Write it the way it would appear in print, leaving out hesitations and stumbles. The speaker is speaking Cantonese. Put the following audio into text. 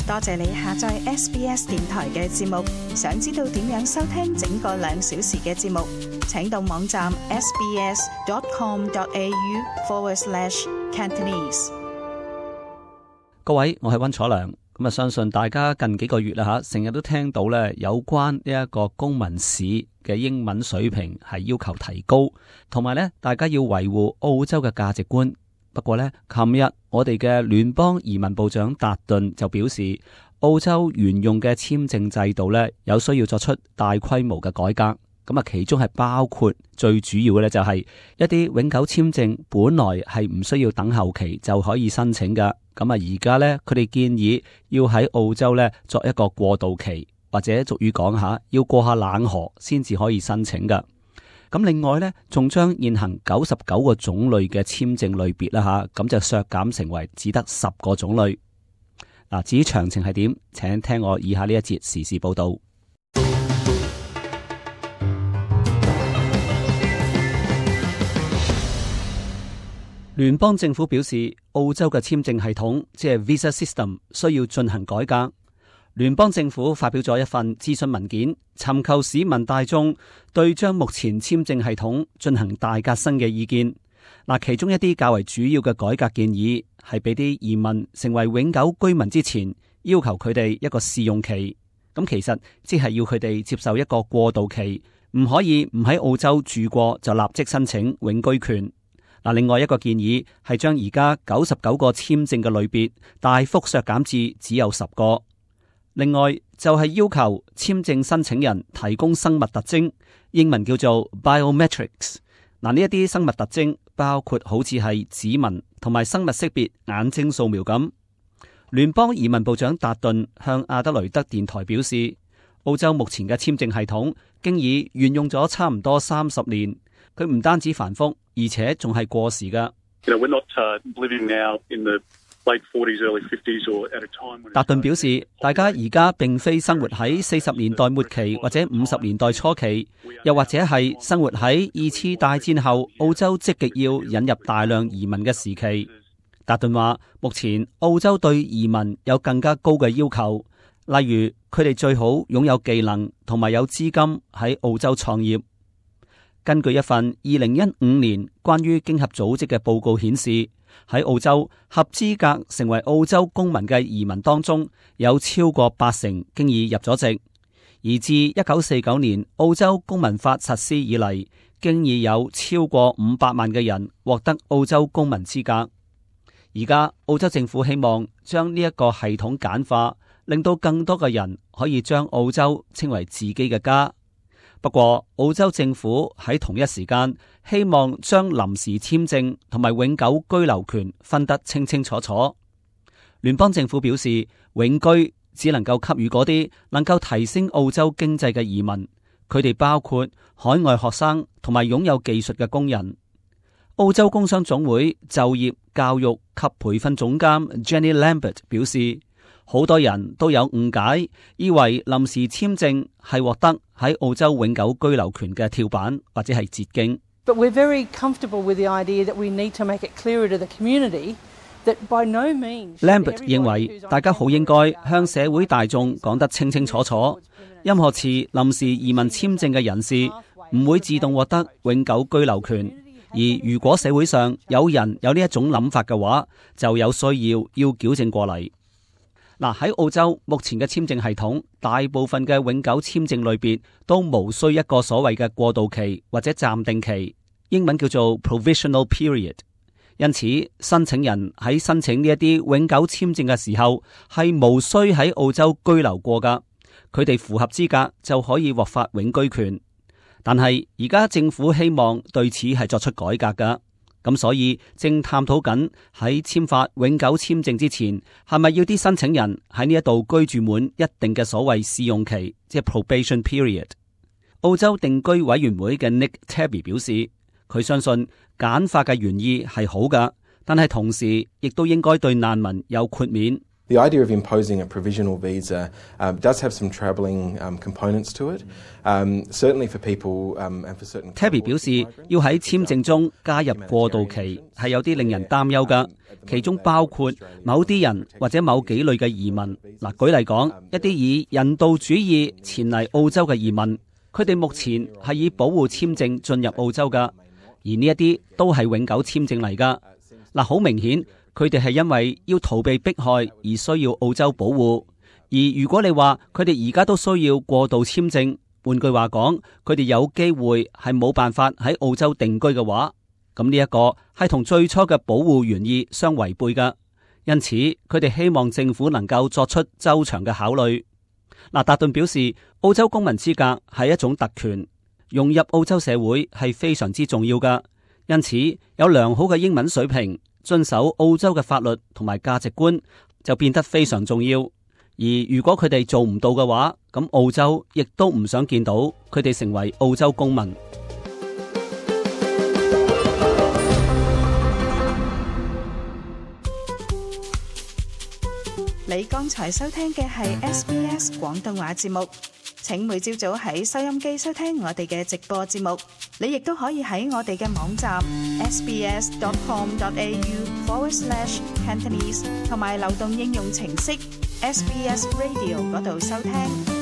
多謝你下載 SBS 電台嘅節目。想知道點樣收聽整個2小時嘅節目，請到網站 sbs.com.au/Cantonese。各位，我係溫楚良。咁相信大家近幾個月啦成日都聽到咧有關呢一個公民試嘅英文水平係要求提高，同埋咧大家要維護澳洲嘅價值觀。不過咧，琴日我哋嘅聯邦移民部長達頓就表示，澳洲沿用嘅簽證制度咧有需要作出大規模嘅改革。咁啊，其中係包括最主要嘅咧就係一啲永久簽證本來係唔需要等候期就可以申請噶。咁啊，而家咧佢哋建議要喺澳洲咧作一個過渡期，或者俗語講下要過下冷河先至可以申請噶。咁另外咧，仲將現行99個種類嘅簽證類別啦吓，咁就削減成為只得10個種類。嗱，至於詳情係點，請聽我以下呢一節時事報道。聯邦政府表示，澳洲嘅簽證系統即係 Visa System 需要進行改革。聯邦政府發表咗一份諮詢文件，尋求市民大眾對將目前簽證系統進行大革新嘅意見。嗱，其中一啲較為主要嘅改革建議係俾啲移民成為永久居民之前，要求佢哋一個試用期。咁其實即係要佢哋接受一個過渡期，唔可以唔喺澳洲住過就立即申請永居權。嗱，另外一個建議係將而家99個簽證嘅類別大幅削減至只有10個。另外就係要求簽證申請人提供生物特徵，英文叫做 biometrics。嗱，呢一啲生物特徵包括好似係指紋同埋生物識別眼睛掃描咁。聯邦移民部長達頓向阿德雷德電台表示，澳洲目前嘅簽證系統經已沿用咗差唔多30年，佢唔單止繁複，而且仲係過時噶。達頓表示，大家而家並非生活喺40年代末期或者50年代初期，又或者係生活喺2次大戰後澳洲積極要引入大量移民嘅時期。達頓話，目前澳洲對移民有更加高嘅要求，例如佢哋最好擁有技能同埋有資金喺澳洲創業。根據一份2015年關於經合組織嘅報告顯示，喺澳洲合資格成為澳洲公民嘅移民當中，有超過80%經已入咗籍。而自1949年澳洲公民法實施以嚟，經已有超過500萬嘅人獲得澳洲公民資格。而家澳洲政府希望將呢一個系統簡化，令到更多嘅人可以將澳洲稱為自己嘅家。不過，澳洲政府喺同一時間希望將臨時簽證同埋永久居留權分得清清楚楚。聯邦政府表示，永居只能夠給予嗰啲能夠提升澳洲經濟嘅移民，佢哋包括海外學生同埋擁有技術嘅工人。澳洲工商總會就業、教育及培訓總監 Jenny Lambert 表示，好多人都有誤解，以為臨時簽證係獲得喺澳洲永久居留權嘅跳板或者係捷徑。But we're very comfortable with the idea that we need to make it clearer to the community that by no means. Lambert 認為大家好應該向社會大眾講得清清楚楚，任何持臨時移民簽證嘅人士唔會自動獲得永久居留權。而如果社會上有人有呢一種諗法嘅話，就有需要矯正過嚟。嗱，喺澳洲目前嘅簽證系統，大部分嘅永久簽證類別都無需一個所謂嘅過渡期或者暫定期，英文叫做 provisional period。因此，申請人喺申請呢一啲永久簽證嘅時候，係無需喺澳洲居留過噶，佢哋符合資格就可以獲發永居權。但係而家政府希望對此係作出改革噶。咁所以正探討緊喺簽發永久簽證之前，係咪要啲申請人喺呢一度居住滿一定嘅所謂試用期，即係 probation period。澳洲定居委員會嘅 Nick Tabby 表示，佢相信簡化嘅原意係好噶，但係同時亦都應該對難民有豁免。The idea of imposing a provisional visa does have some troubling components to it. Certainly for people and for certain. Tabby 表示，要喺簽證中加入過渡期係有啲令人擔憂㗎，其中包括某啲人或者某幾類嘅移民。嗱，舉例講，一啲以人道主義前嚟澳洲嘅移民，佢哋目前係以保護簽證進入澳洲㗎，而呢一啲都係永久簽證嚟㗎。嗱，好明顯。佢哋係因為要逃避迫害而需要澳洲保護，而如果你話佢哋而家都需要過渡簽證，換句話講，佢哋有機會係冇辦法喺澳洲定居嘅話，咁呢一個係同最初嘅保護原意相違背㗎。因此，佢哋希望政府能夠作出周詳嘅考慮。嗱，達頓表示，澳洲公民資格係一種特權，融入澳洲社會係非常之重要㗎。因此，有良好嘅英文水平，遵守澳洲嘅法律同埋價值觀就變得非常重要，而如果佢哋做唔到嘅話，咁澳洲亦都唔想見到佢哋成為澳洲公民。你剛才收聽嘅係 SBS 廣東話節目。請每朝早喺收音機收聽我哋嘅直播節目，你亦都可以喺我哋嘅網站 sbs.com.au/Cantonese 同埋流動應用程式 SBS Radio 嗰度收聽。